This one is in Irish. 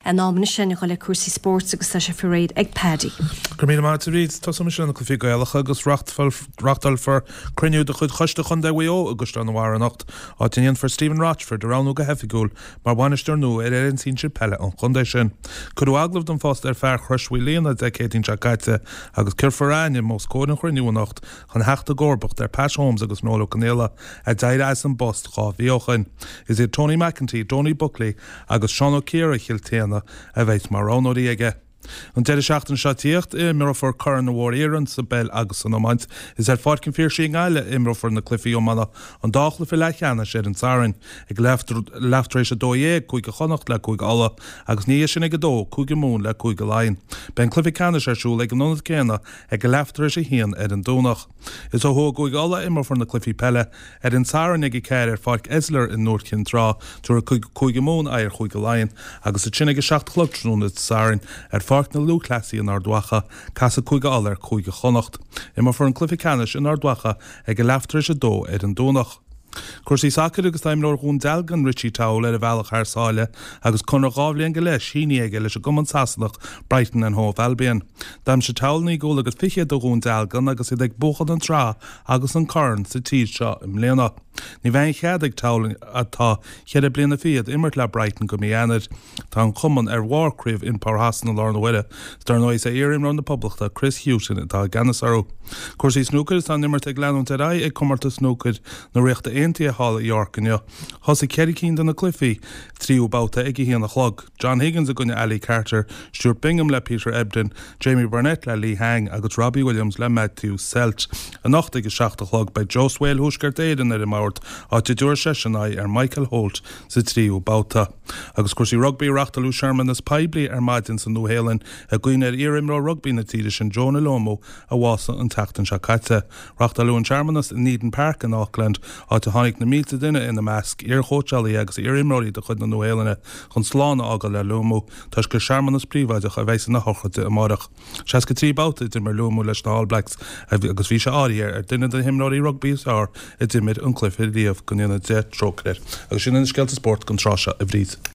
An am anois a dhul le cúrsaí spóirt agus tá sé faoi réir ag Paddy. Go raibh míle maith agat a Bhríd. Tosóidh mise le na cluichí Gaelacha agus reáchtálfar cruinniú de chuid Choiste Chontae Mhaigh Eo i gCaisleán an Bharraigh anocht, áit a ndéanfar Stephen Rochford a roghnú go hoifigiúil mar bhainisteoir nua ar fhoireann sinsir peile an chontae sin. Cuireadh agallamh don phost ar fear Chrois Mhaoilíona Dé Céadaoin seo caite agus cuirfear a ainm os comhair an chruinniú anocht chun theacht i gcomharbacht ar Pat Holmes agus Noel Ó Conaola a d'éirigh as an bpost 2 mhí ó shoin. Is iad Tony McEntee, Donie Buckley agus Seán Ó Ciaraidh Chill tSéadhna a bheidh mar roghnóirí aige. An deireadh seachtaine seo tíocht, imreofar Corn na Mhór-Iarann sa bpeil agus san iomáint. Is ar Pháirc an Phiarsaigh i nGaillimh a imreofar na cluichí iomána, an dá chluiche leathcheannais ar an Satharn. Ag leath tar éis 12, Cúige Chonnacht le Cúige Uladh, agus ina dhiaidh sin ag 2, Cúige Mumhan le Cúige Laighean. Beidh an cluiche ceannais ar siúl ag an ionad céanna ag a leath tar éis 1 ar an Domhnach. Is ó thuaidh i gCúige Uladh a imreofar na cluichí peile ar an Satharn ag 4 ar Pháirc Esler i nDúiche Chinn Trá, tabharfaidh Cúige Mumhan aghaidh ar Chúige Laighean, agus ansin ag 7 a chlog tráthnóna Dé Sathairn ar Pháirc na Lúthchleasaí in Ard Mhacha, casfaidh Cúige Uladh ar Chúige Chonnacht. Imreofar an cluiche ceannais in Ard Mhacha ag a leath tar éis 2 ar an Domhnach. Cúrsaí sacair agus tá imreoir Dhún Dealgan, Richie Towell, ar a bhealach thar sáile agus conradh 2 bhliain go leith sínithe aige leis an gcumann Sasanach Brighton and Hove Albion. D'aimsigh Towell 9 gcúl agus fichead do Dhún Dealgan agus iad ag buachan an tsraith agus an corn sa tír seo i mbliana. Ní bheidh aon chead ag Towell, atá cheithre bliana fichead, imirt le Brighton go mí Eanáir. Tá an cumann ar bharr craobh InPower Shasana i láthair na huaire. Is dar ndóigh is é iar-imreoir na Poblachta, Chris Hughton, atá i gceannas orthu. Cúrsaí snúcair Is tá an imirt ag leanúint ar aghaidh ag Comórtas Snúcair na Ríochta Aontaithe thall i York inniu. Thosaigh ceithre cinn de na cluichí tríú babhta ag a haon a chlog. John Higgins i gcoinne Ali Carter, Stuart Bingham le Peter Ebdon, Jamie Burnett le Li Hang agus Robbie Williams le Matthew Selt. Anocht ag a 7 a chlog beidh Joe Swail Thuaisceart Éireann ar an mbord, áit a dtabharfaidh seisean aghaidh ar Michael Holt sa tríú babhta. Agus cúrsaí rugbaí, reáchtáladh searmanas poiblí ar maidin sa Nua-Shéalainn i gcuimhne ar iar-imreoir rugbaí na tíre sin Jonah Lomu a bhásaigh an tseachtain seo caite. Reáchtáladh an searmanas in Eden Park in Auckland, áit a tháinig na mílte duine, ina measc iar-chóitseálaithe agus iar-imreoirí de chuid na Nua-Shéalainne, chun slán a fhágáil le Lomu, toisc gur searmanas príobháideach a bheas ina shochraid amárach. 63 babhta a d'imir Lomu leis na All Blacks agus bhí sé áirithe ar duine de na himreoirí rugbaí is fearr a d'imir an cluiche riamh, go ndéana Dia trócaire air. Agus sin iad na scéalta spóirt don tráth seo, a Bhríd.